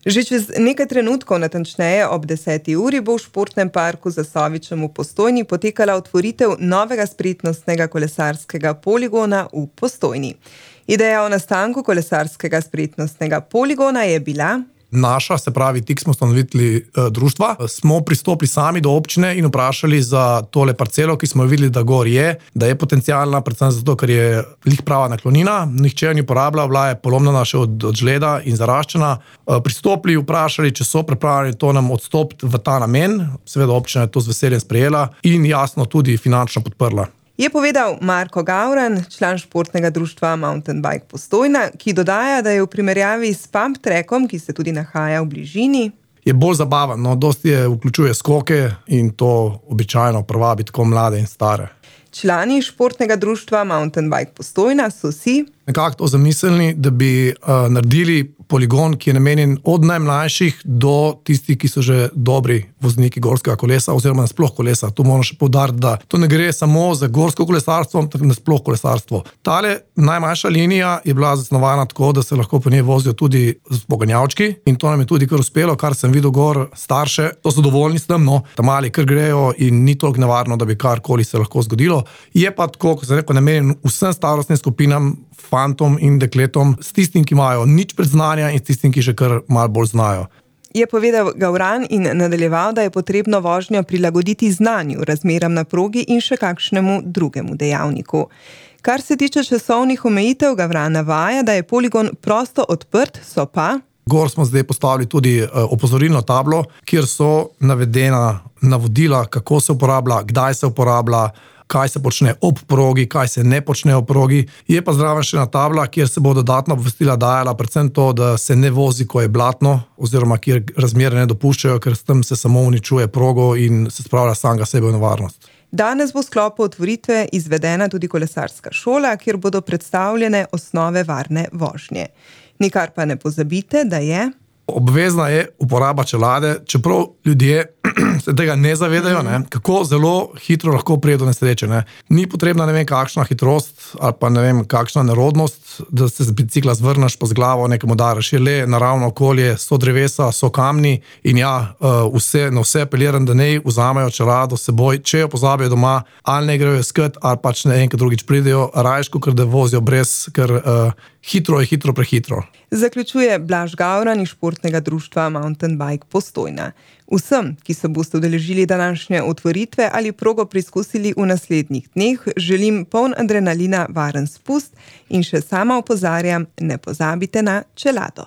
Že čez nekaj trenutkov, natančneje ob 10. uri, bo v športnem parku Zasovičem v Postojni potekala otvoritev novega spretnostnega kolesarskega poligona v Postojni. Ideja o nastanku kolesarskega spretnostnega poligona je bila: naša, se pravi, tik smo ustanovili društva, smo pristopili sami do občine in vprašali za tole parcelo, ki smo jo videli, da gor je, da je potencialna, predvsem zato, ker je lih prava naklonina, nihče jo ni uporabljal, bila je polomljena še od žleda in zaraščena. Pristopili, vprašali, če so pripravljeni to nam odstopiti v ta namen, seveda občina je to z veseljem sprejela in jasno tudi finančno podprla. Je povedal Marko Gavran, član športnega društva Mountain Bike Postojna, ki dodaja, da je v primerjavi s pump trackom, ki se tudi nahaja v bližini, je bolj zabaven, dosti vključuje skoke in to običajno privabi tako mlade in stare. Člani športnega društva Mountain Bike Postojna so si nekako to zamislili, da bi naredili poligon, ki je namenjen od najmlajših do tistih, ki so že dobri vozniki gorskega kolesa oziroma nasploh kolesa. Tu moram še poudariti, da to ne gre samo za gorsko kolesarstvo, ampak nasploh kolesarstvo. Tale najmanjša linija je bila zasnovana tako, da se lahko po njej vozijo tudi poganjavčki in to nam je tudi kar uspelo, kar sem videl gor starše. To so dovoljni s tem, ta mali kar grejo in ni toliko nevarno, da bi karkoli se lahko zgodilo. Je pa tako, kot sem rekel, namenjen vsem starostnim skupinam, fantom in dekletom, s tistim, ki imajo nič predznanja in s tistim, ki že kar malo bolj znajo. Je povedal Gavran in nadaljeval, da je potrebno vožnjo prilagoditi znanju, razmeram na progi in še kakšnemu drugemu dejavniku. Kar se tiče časovnih omejitev, Gavran navaja, da je poligon prosto odprt, so pa gor smo zdaj postavili tudi opozorilno tablo, kjer so navedena navodila, kako se uporablja, kdaj se uporablja, kaj se počne ob progi, kaj se ne počne ob progi. Je pa zraven še ena tabla, kjer se bo dodatno obvestila dajala predvsem to, da se ne vozi, ko je blatno, oziroma kjer razmere ne dopuščajo, ker s tem se samo uničuje progo in se spravlja samega sebe v nevarnost. Danes bo v sklopu otvoritve izvedena tudi kolesarska šola, kjer bodo predstavljene osnove varne vožnje. Nikar pa ne pozabite, da je obvezna je uporaba čelade, čeprav ljudje se tega ne zavedajo, kako zelo hitro lahko pride do nesreče. Ni potrebna ne vem kakšna hitrost ali pa ne vem kakšna nerodnost, da se z bicikla zvrneš pa z glavo nekemu daraš. Je le naravno okolje, so drevesa, so kamni in na vse apeliram, da ne vzamejo čelado s seboj, če jo pozabijo doma, ali ne grejo iskat, ali pač ne enkrat drugič pridejo, rajško, ker da vozijo brez, ker hitro je hitro prehitro. Zaključuje Blaž Gavran iz športnega društva Mountain Bike Postojna. Vsem, ki se boste udeležili današnje otvoritve ali progo preizkusili v naslednjih dneh, želim poln adrenalina, varen spust in še sama opozarjam, ne pozabite na čelado.